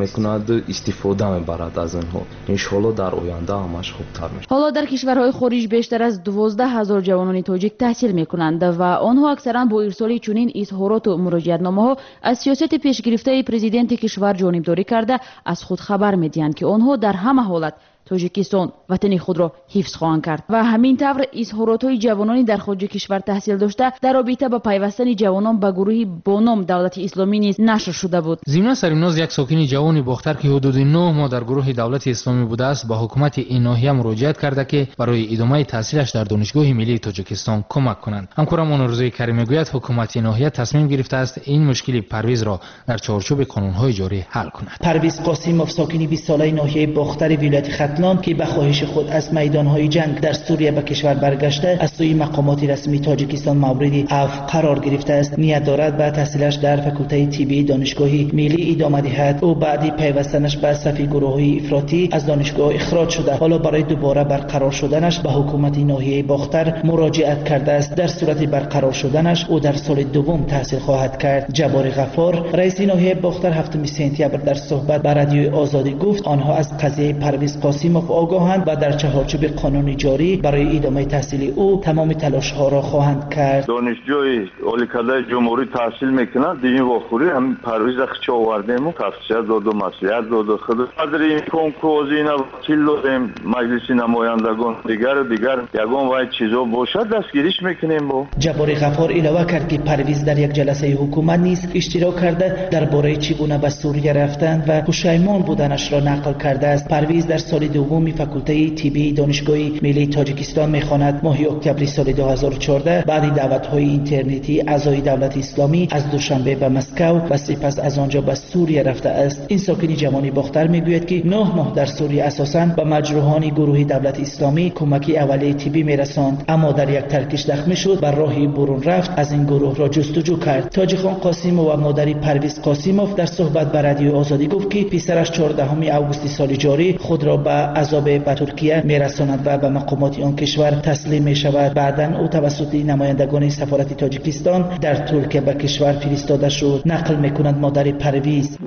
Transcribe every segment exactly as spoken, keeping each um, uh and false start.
Мекунад, истифода мебарад аз онҳо. Иншоалло дар оянда ҳамаш хубтар мешавад. Ҳоло дар кишварҳои хориҷ бештар аз дувоздаҳ ҳазор ҷавонони тоҷик таҳсил мекунанд ва онҳо аксаран бо ирсоли чунин изҳороту муроҷиатномаҳо аз сиёсати пешгирифтаи президенти кишвар ҷонибдорӣ карда аз худ хабар медиҳанд, ки онҳо дар ҳама ҳолат Тоҷикистон ватани худро ҳифз хоҳанд кард. Ва ҳамин тавр изҳоротҳои ҷавонони дар хориҷи кишвар таҳсил дошта дар робита ба пайвастани ҷавонон ба гурӯҳи бо ном Давлати Исломӣ низ нашр шуда буд. Зимна Саримноз, як сокини ҷавони Бохтар, ки ҳудуди нӯҳ моҳ дар гурӯҳи Давлати Исломӣ будааст, ба ҳукумати ин ноҳия муроҷиат карда, ки барои идомаи таҳсилаш дар Донишгоҳи миллии Тоҷикистон кӯмак кунанд. Ҳамкорамон Орзуи Карим мегӯяд, ҳукумати ноҳия тасмим гирифтааст ин мушкили Парвизро дар чорчӯби қонунҳои ҷорӣ ҳал кунад. Парвиз Қосимов, сокини бистсолаи ноҳияи Бохтари вилояти Хатлон, ки ба хоҳиши худ аз майдонҳои ҷанг дар Сурия ба кишвар баргашта, аз сӯи мақомоти расмии Тоҷикистон мавриди афв қарор гирифтааст, ният дорад ба таҳсилаш дар факултаи тиббии Донишгоҳи миллӣ идома диҳад. Ӯ баъди пайвастанаш ба сафи гурӯҳҳои ифротӣ аз донишгоҳ ихроҷ шуда, ҳоло барои дубора барқарор шуданаш ба ҳукумати ноҳияи Бохтар муроҷиат кардааст. Дар сурати барқарор шуданаш ӯ дар соли дуввум таҳсил хоҳад кард. Ҷаббори Ғаффор, раиси ноҳияи Бохтар, ҳафтуми сентябр дар суҳбат ба Радиои Озодӣ гуфт, онҳо аз қазияи Парвиз Қосимов огоҳанд ва дар чаҳорчӯби қонуни ҷорӣ барои идомаи таҳсили ӯ тамоми талошҳоро хоҳанд кард. Донишҷӯи оликадаи ҷумҳурӣ таҳсил мекунад, дини вохӯрӣ ҳамин Парвиза хича овардему, тавсия доду, маслиҳат доду. Худ қадри имкон козина вакил додем, маҷлиси намояндагон, дигару дигар ягон вай чизо бошад дастгириш мекунем. Бо Ҷаббори Ғаффор илова кард, ки Парвиз дар як ҷаласаи ҳукумат низ иштирок карда, дар бораи чӣ гуна ба Сурия рафтанд ва пушаймон буданашро нақл кардааст. Парвиз дар соли дуввуми факултаи тиббии Донишгоҳи миллии Тоҷикистон мехонад. Моҳи октябри соли ду ҳазору чордаҳ баъди даъватҳои интернетӣ аъзои Давлати Исломӣ аз Душанбе ба Москав ва сипас аз он ҷо ба Сурия рафтааст. Ин сокини ҷавони Бохтар мегӯяд, ки нӯҳ моҳ дар Сурия асосан ба маҷрӯҳони гурӯҳи Давлати Исломӣ кӯмаки аввалияи тиббӣ мерасонд, аммо дар як таркиш захмӣ шуд ва роҳи бурун рафт аз ин гурӯҳро ҷустуҷӯ кард. Тоҷихон Қосимов ва модари Парвиз Қосимов дар суҳбат ба Радиои Озодӣ гуфт, ки писараш чордаҳуми августи соли ҷорӣ худро ба азобе ба Туркия мерасонад ва ба мақомоти он кишвар таслим мешавад. Баъдан ӯ тавассути намояндагони сафорати Тоҷикистон дар Туркия ба кишвар фиристода шуд. Нақл мекунад модари Парвиз.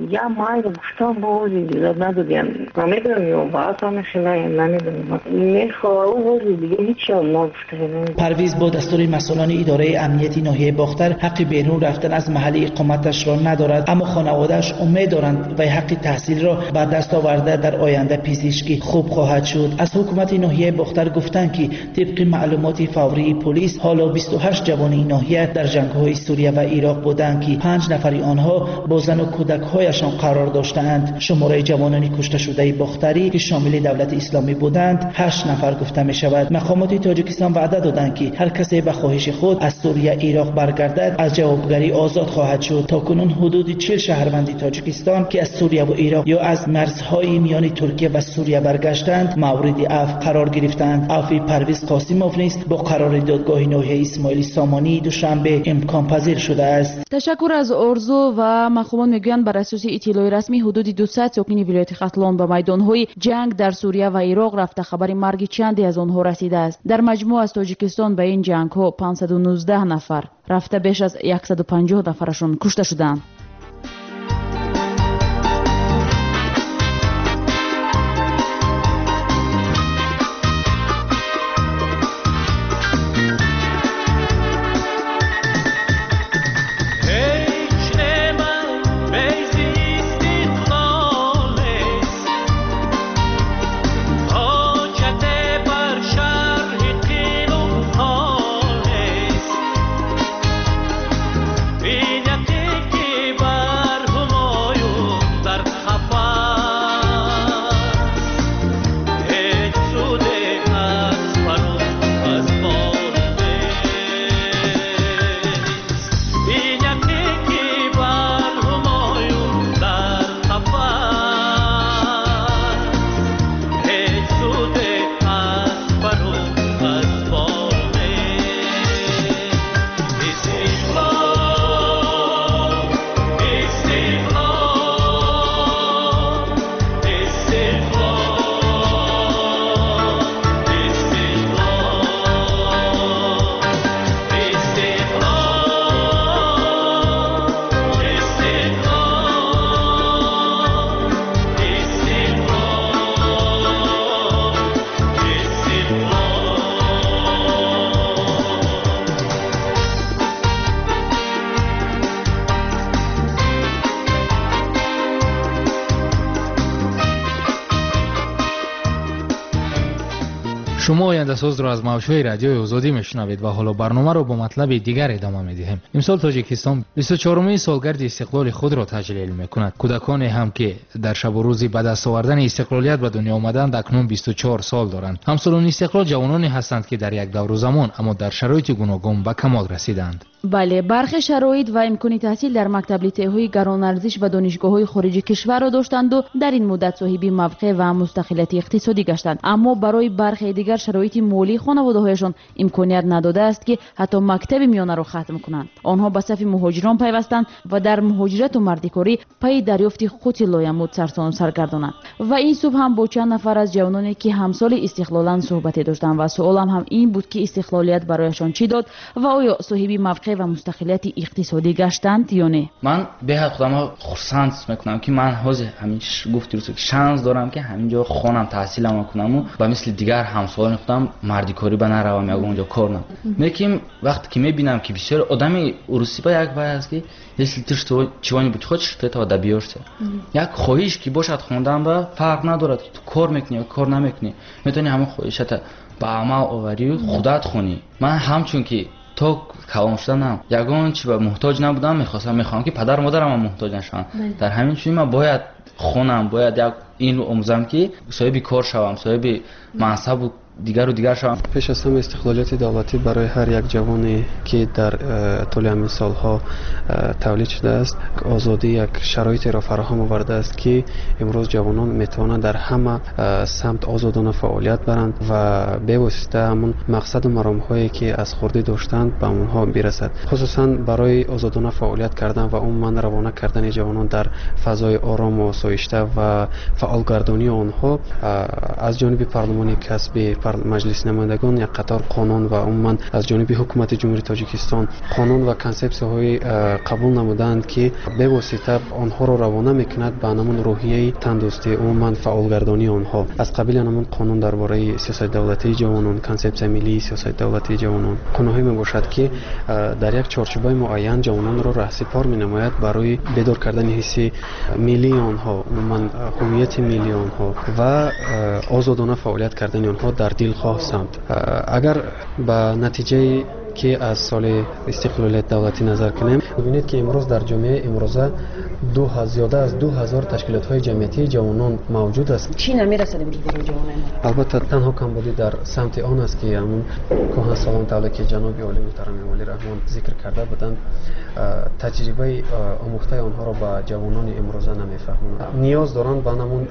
Парвиз бо дастури масъулони идораи амнияти ноҳияи Бохтар ҳаққи берун рафтан аз маҳалли иқоматашро надорад, аммо хонаводааш умед доранд вай ҳаққи таҳсилро ба даст оварда дар оянда пизишки хуб хоҳад шуд. Аз ҳукумати ноҳияи Бохтар гуфтанд, ки тибқи маълумоти фаврии полис ҳоло бисту ҳашт ҷавони ноҳия дар ҷангҳои Сурия ва Ироқ буданд, ки панҷ нафари онҳо бо зану кӯдакҳояшон қарор доштаанд. Шумораи ҷавонони кушташудаи Бохтарӣ, ки шомили Давлати Исломӣ буданд, ҳашт нафар гуфта мешавад. Мақомоти Тоҷикистон ваъда доданд, ки ҳар касе ба хоҳиши худ аз Сурия Ироқ баргардад аз ҷавобгарӣ озод хоҳад шуд. То кунун ҳудуди чил шаҳрванди Тоҷикистон, ки аз Сурия ва Ироқ ё аз марзҳои миёни Туркия ва Сурия баргаштанд, мавриди афв қарор гирифтанд. Афви Парвиз Қосимов низ бо қарори додгоҳи ноҳияи Исмоили Сомонии Душанбе имконпазир шудааст. Ташаккур аз Орзу. Ва мақомот мегӯянд, бар асоси иттилои расмӣ ҳудуди дусад сокини вилояти Хатлон ба майдонҳои ҷанг дар Сурия ва Ироқ рафта, хабари марги чанде аз онҳо расидааст. Дар маҷмӯъ аз Тоҷикистон ба ин ҷангҳо панҷсаду нуздаҳ нафар рафта, беш аз яксаду панҷоҳ нафарашон кушта шуданд. Bine te Шумо ояндасозро аз мавҷҳои радиои Озодӣ мешунавед ва ҳоло барномаро бо матлаби дигар идома медиҳем. Имсол Тоҷикистон бисту чорумин солгарди истиқлоли худро таҷлил мекунад. Кӯдаконе ҳам ки дар шабу рӯзи ба даст овардани истиқлолият ба дунё омаданд, акнун бисту чор сол доранд. Ҳамсолони истиқлол ҷавононе ҳастанд, ки дар як давру замон, аммо дар шароити гуногун ба камол расиданд. Бале, бархе шароит ва имкони таҳсил дар мактаб, литсейҳои гаронарзиш ва донишгоҳҳои хориҷи кишварро доштанду дар ин муддат соҳиби мавқеъ ва мустақилияти иқтисодӣ гаштанд. Аммо барои бархе дигар шароити молии хонаводаҳояшон имконият надодааст, ки ҳатто мактаби миёнаро хатм кунанд. Онҳо ба сафи муҳоҷирон пайвастанд ва дар муҳоҷирату мардикорӣ пайи дарёфти қути лоямут сарсону саргардонанд. Ва ин субҳ ҳам бо чанд нафар аз ҷавононе, ки ҳамсоли истиқлоланд, суҳбате доштам ва суолам ҳам ин буд, ки истиқлолият барояшон чӣ дод ва оё соҳиби мавқеъ ва мустақилияти иқтисодӣ гаштанд ё не. Ман беҳад худамро хурсанд мекунам, ки ман ҳозир ҳамин гуфти рӯз шанс дорам, ки ҳамин ҷо хонам, таҳсиламро кунаму ба мисли дигар ҳамсолони худам мардикорӣ ба наравам, ягон ҷо кор нам. Лекин вақте ки мебинам, ки бисёр одами урусӣ ба як вай аст, ки если ты чего-нибудь хочешь, ты этого добьешься. Як хоҳиш ки бошад хондан, ба фарқ надорад, ки ту кор мекунӣ ё кор намекунӣ, метавонӣ ҳамон хоҳишата ба амал оварию худат хонӣ. Ман ҳамчун ки то калон шуданам ягон чи ба муҳтоҷ набудам, мехостам, мехоҳам, ки падару модарам муҳтоҷ нашаванд. Дар ҳамин чунин ман бояд хонам, бояд як ин омӯзам, ки соҳиби кор шавам, соҳиби мансабу дигару дигар шавам. Пеш аз ҳама, истиқлолияти давлатӣ барои ҳар як ҷавоне, ки дар э, тӯли ҳамин солҳо э, тавлид шудааст, озодӣ як шароитеро фароҳам овардааст, ки имрӯз ҷавонон метавонанд дар ҳама э, самт озодона фаъолият баранд ва бевосита ҳамон мақсаду маромҳое, ки аз хурдӣ доштанд, ба онҳо бирасад. Хусусан барои озодона фаъолият кардан ва умуман равона кардани ҷавонон дар фазои орому осоишта ва фаъолгардонии онҳо аз ҷониби парлумони касби Маҷлиси намояндагон як қатор қонун ва умуман аз ҷониби ҳукумати Ҷумҳурии Тоҷикистон қонун ва консепсияҳои қабул намуданд, ки бевосита онҳоро равона мекунад ба ҳамон рӯҳияи тандӯстӣ, умуман фаъолгардонии онҳо. Аз қабили ҳамон қонун дар бораи сиёсати давлатии ҷавонон, консепсияи миллии сиёсати давлатии ҷавонон, қонунҳое мебошад, ки дар як чорчӯбаи муайян ҷавононро раҳсипор менамояд барои бедор кардани ҳисси миллии онҳо, умуман ҳувияти миллии онҳо ва озодона фаъолият кардани онҳо дар дилхоҳ самт. Агар ба натиҷаи ки аз соли истиқлолияти давлатӣ назар кунем, бибинед, ки имрӯз дар ҷомеаи имрӯза зиёда аз ду ҳазор ташкилотҳои ҷамъиятии ҷавонон мавҷуд аст. Чӣ намерасад имрӯз барои ҷавонон? Албатта, танҳо камбудӣ дар самти он аст, ки ҳамун кӯҳансолон, тавре ки ҷаноби олӣ муҳтарам Эмомалӣ Раҳмон зикр карда буданд, таҷрибаи омӯхтаи онҳоро ба ҷавонони имрӯза намефаҳмонанд. Ниёз доранд ба ҳамун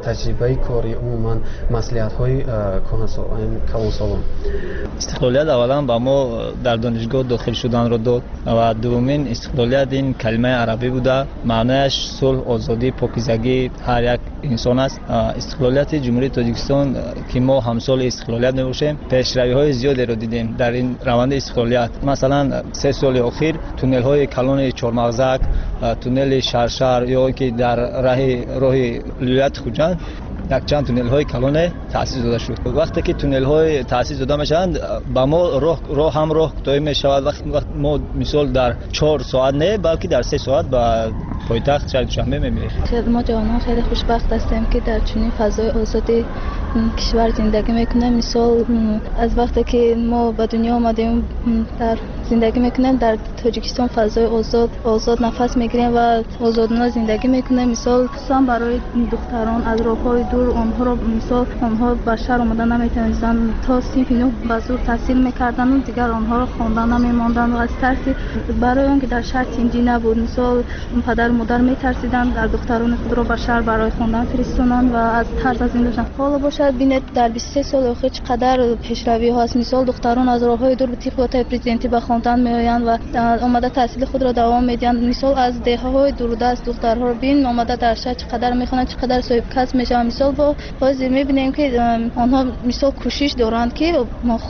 таҷрибаи кори, умуман маслиҳатҳои калонсолон. Истиқлолият аввалан ба мо дар донишгоҳ дохил шуданро дод ва дуввумин, истиқлолият ин калимаи арабӣ буда, маънояш сулҳ, озодӣ, покизагии ҳар як инсон аст. Истиқлолияти Ҷумҳурии Тоҷикистон, ки мо ҳамсоли истиқлолият мебошем, пешравиҳои зиёдеро дидем дар ин раванди истиқлолият. Масалан, се соли охир туннелҳои калони Чормағзак, туннели Шаршар ё ки дар раҳи роҳи вилояти Хуҷанд якчанд туннелҳои калоне таъсис дода шуд. Вақте ки туннелҳои таъсис дода мешаванд, ба мо роҳ ҳам роҳ кӯтоҳӣ мешавад. Вақт мо мисол дар чор соат не, балки дар се соат ба пойтахт шаҳри Душанбе мемирем. Мо ҷавонон хеле хушбахт ҳастем, ки дар чунин фазои озоди кишвар зиндагӣ мекунем. Мисол, аз вақте ки мо ба дунё омадем, дар зиндагӣ мекунем дар Тоҷикистон, фазои озод, озод нафас мегирем ва озодона зиндагӣ мекунем. Мисол, хусусан барои духтарон аз роҳҳои дур онҳоро, мисол, онҳо ба шаҳр омода наметавонистанд, то синфи нӯҳ ба зур таҳсил мекарданду дигар онҳоро хонда намемонданд аз тарси барои он ки дар шаҳр тинҷӣ набуд. Мисол, падару модар метарсиданд дар духтарони худро ба шаҳр барои хондан фиристонанд ва аз тарс аз ин доштанд. Ҳоло бошад, бинед, дар бисту се соли охир чӣ қадар пешравиҳо ҳаст. Мисол, духтарон аз роҳҳои дур тибқи президентӣ ба хондан меоянд ва омада таҳсили худро давом медиҳанд. Мисол, аз деҳаҳои дурдаст духтарҳоро бин, омада дар шаҳр чӣ қадар мехонанд, чӣ қадар соҳибкасб мешаванд. Мисол, бо ҳозир мебинем, ки онҳо, мисол, кӯшиш доранд, ки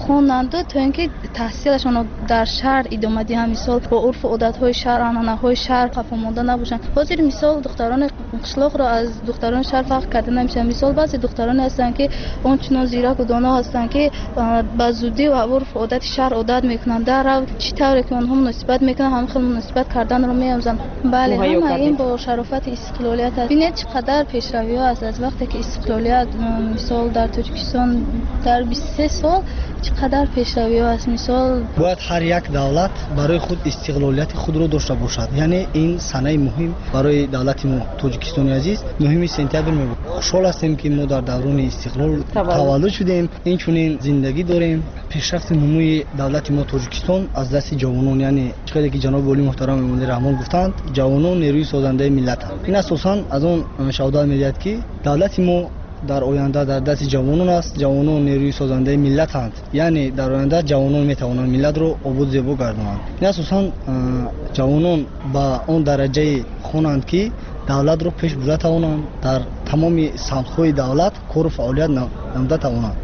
хонанду то ин ки таҳсилашонро дар шаҳр идома диҳанд, мисол, бо урфу одатҳои шаҳр, анъанаҳои шаҳр қафо монда набошанд. бошанд. Ҳозир мисол духтарони қишлоқро аз духтарони шаҳр фарқ карда намешавад. Мисол баъзе духтароне ҳастанд, ки ончунон зираку доно ҳастанд, ки ба зудӣ ва урфу одати шаҳр одат мекунанд. Дар рав чӣ тавре ки онҳо муносибат мекунанд, ҳамин хел муносибат карданро меомӯзанд. Бале, ҳама ин бо шарофати истиқлолият аст. Бинед чӣ қадар пешравиҳо аст аз вақте ки истиқлолият, мисол дар Тоҷикистон дар бисту се сол чӣ қадар пешравиҳо аст. Мисол бояд ҳар як давлат барои худ истиқлолияти худро дошта бошад. Яъне ин санаи муҳим барои давлати мо Тоҷикистони азиз нуҳуми сентябр мебошад. Хушҳол ҳастем, ки мо дар даврони истиқлол таваллуд шудем, инчунин зиндагӣ дорем. Пешрафти нумӯи давлати мо Тоҷикистон аз дасти ҷавонон, яъне чӣ қадар ки ҷаноби олӣ муҳтарам Эмомалӣ Раҳмон гуфтанд, ҷавонон нерӯи созандаи миллатанд. Ин асосан аз он шаҳодат медиҳад, ки давлати мо дар оянда дар дасти ҷавонон аст. Ҷавонон нерӯи созандаи миллатанд, яъне дар оянда ҷавонон метавонанд миллатро обод зебо гардонанд. Ин асосан ҷавонон ба он дараҷае хонанд, ки давлатро пеш бурда тавонанд, дар тамоми самтҳои давлат кору фаъолият намуда тавонанд.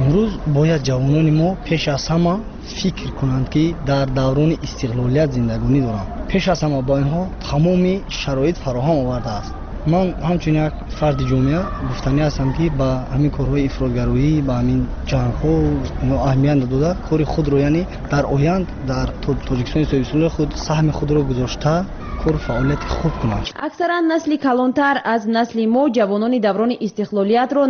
Имрӯз бояд ҷавонони мо пеш аз ҳама фикр кунанд, ки дар даврони истиқлолият зиндагонӣ доранд. Пеш аз ҳама ба инҳо тамоми шароит фароҳам овардааст. Ман ҳамчун як фарди ҷомеа гуфтанӣ ҳастам, ки ба ҳамин корҳои ифротгароӣ, ба ҳамин ҷангҳо аҳамият надода, кори худро, яъне дар оянд дар Тоҷикистони соҳибистиқлоли худ саҳми худро гузошта кор фаъолияти хуб кунанд. Аксаран насли калонтар аз насли мо ҷавонони даврони истиқлолиятро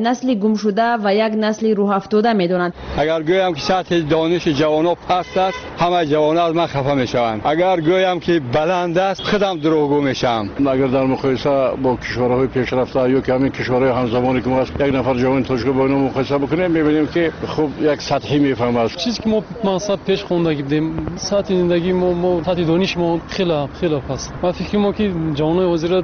насли гумшуда ва як насли рӯҳафтода медонанд. Агар гӯям, ки сатҳи дониши ҷавонон паст аст, ҳамаи ҷавонон аз ман хафа мешаванд. Агар гӯям, ки баланд аст, худам дурӯғгӯ мешавам. Агар дар муқоиса бо кишварҳои пешрафта ё ки ҳамин кишварҳои ҳамзамоне ки мо аст, як нафар ҷавони тоҷик бо инҳо муқоиса бикунем, мебинем, ки хуб як сатҳӣ мефаҳмад. Чизе ки мо мақсад пеш хондагӣ будем, сатҳи зиндагии мо, мо сатҳи дониши мо хеле хеле паст. Ман фикр мекунам, ки ҷавонони ҳозира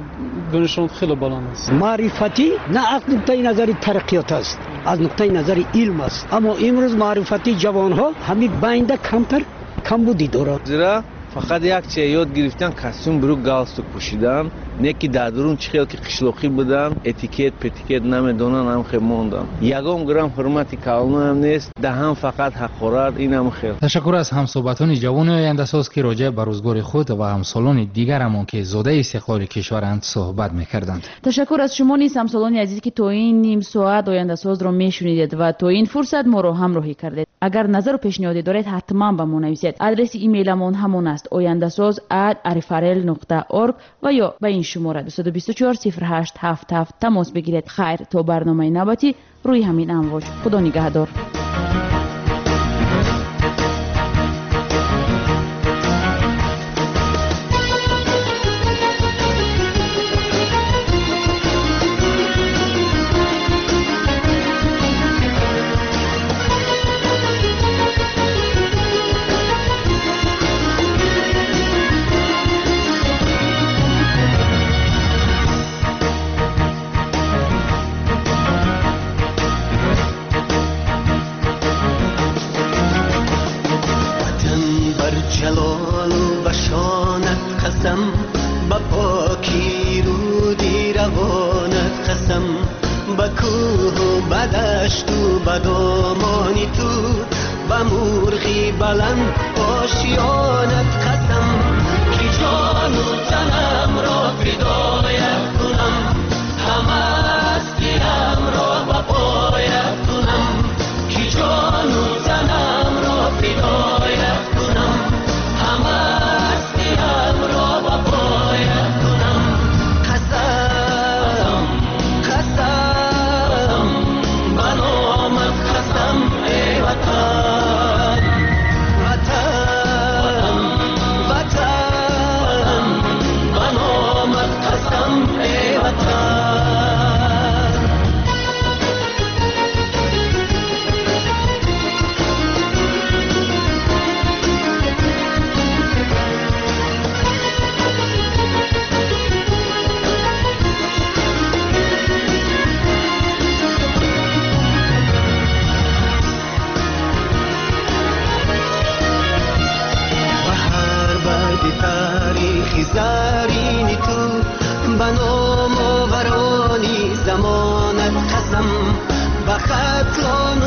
донишашон хеле баланд аст. Маърифатӣ на аз нуқтаи назари тараққиёт аст, аз нуқтаи назари илм аст. Аммо имрӯз маърифати ҷавонҳо ҳамин байнда камтар камбудӣ дорад. Зира фақат як чиз ёд гирифтан, костюм брюк галстук пӯшидан, не ки дар дурун чӣ хел ки қишлоқӣ будан, этикет петикет намедонан, ҳам хел мондан. Ягон грамм ҳурмати калонаам нест, даҳан фақат ҳақорат, инам хел. Ташаккур аз ҳамсӯҳбатони ҷавони ояндасоз, ки роҷеъ ба рӯзгори худ ва ҳамсолони дигарамон, ки зодаи истиқлоли кишваранд, суҳбат мекарданд. Ташаккур аз шумо низ, ҳамсолони азиз, ки то ин ним соат ояндасозро мешунидед ва то ин фурсат моро ҳамроҳӣ кардед. Агар назару пешниҳоде доред, ҳатман ба мо нависед. Адреси имейламон ҳамон аст: ояндасоз ат арифарел нуқта орг ва ё ба ин шумора дусаду бисту чор сифр ҳашт ҳафт ҳафт тамос бигиред. Хайр, то барномаи навбатӣ рӯи ҳамин амвоҷ. Худо нигаҳдор. ба номоварони замонат қасам, ба хатлон